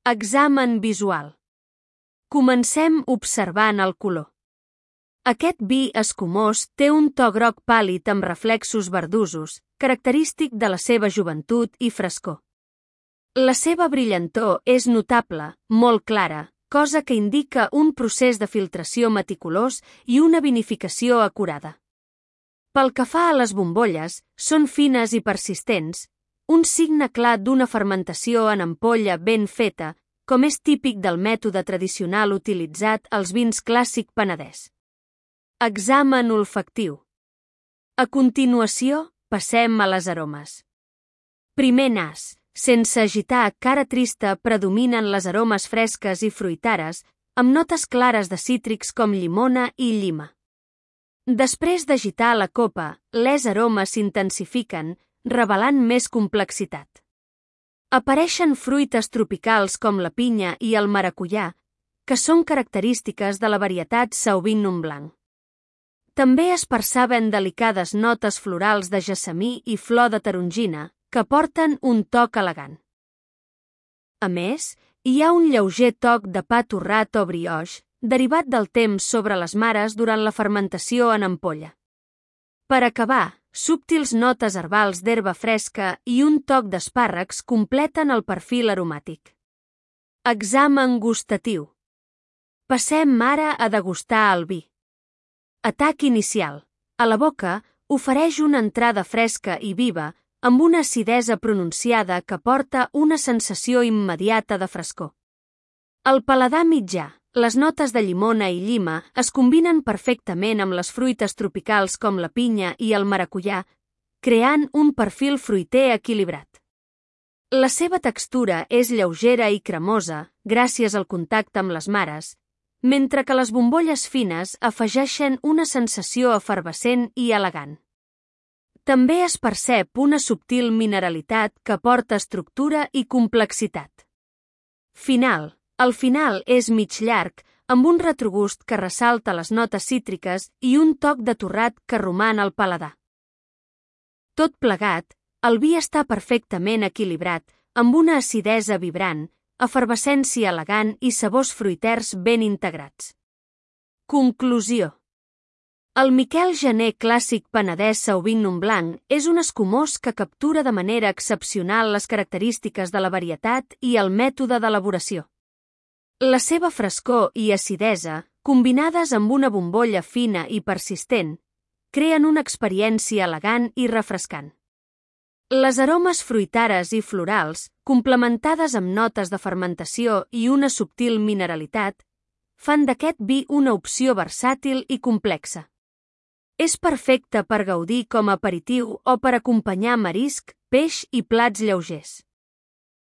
Examen visual. Comencem observant el color. Aquest vi escumós té un to groc pàl·lid amb reflexos verdosos, característic de la seva joventut i frescor. La seva brillantor és notable, molt clara, cosa que indica un procés de filtració meticulós i una vinificació acurada. Pel que fa a les bombolles, són fines i persistents, un signe clar d'una fermentació en ampolla ben feta, com és típic del mètode tradicional utilitzat als vins clàssic penedès. Examen olfactiu. A continuació, passem a les aromes. Primer nas. Sense agitar, cara trista, predominen les aromes fresques i fruitares, amb notes clares de cítrics com llimona i llima. Després d'agitar la copa, les aromes s'intensifiquen, revelant més complexitat. Apareixen fruites tropicals com la pinya i el maracuyà, que són característiques de la varietat Sauvignon Blanc. També es perceben delicades notes florals de gessamí i flor de tarongina, que porten un toc elegant. A més, hi ha un lleuger toc de pa torrat o brioix, derivat del temps sobre les mares durant la fermentació en ampolla. Per acabar, subtils notes herbals d'herba fresca i un toc d'espàrrecs completen el perfil aromàtic. Examen gustatiu. Passem ara a degustar el vi. Atac inicial. A la boca, ofereix una entrada fresca i viva, amb una acidesa pronunciada que porta una sensació immediata de frescor. Al paladar mitjà, les notes de llimona i llima es combinen perfectament amb les fruites tropicals com la pinya i el maracuyà, creant un perfil fruiter equilibrat. La seva textura és lleugera i cremosa, gràcies al contacte amb les mares, mentre que les bombolles fines afegeixen una sensació efervescent i elegant. També es percep una subtil mineralitat que porta estructura i complexitat. Final. El final és mig llarg, amb un retrogust que ressalta les notes cítriques i un toc de torrat que roman al paladar. Tot plegat, el vi està perfectament equilibrat, amb una acidesa vibrant, efervescència elegant i sabors fruiters ben integrats. Conclusió. El Miquel Gener clàssic penedès Sauvignon Blanc és un escumós que captura de manera excepcional les característiques de la varietat i el mètode d'elaboració. La seva frescor i acidesa, combinades amb una bombolla fina i persistent, creen una experiència elegant i refrescant. Les aromes fruitares i florals, complementades amb notes de fermentació i una subtil mineralitat, fan d'aquest vi una opció versàtil i complexa. És perfecte per gaudir com a aperitiu o per acompanyar marisc, peix i plats lleugers.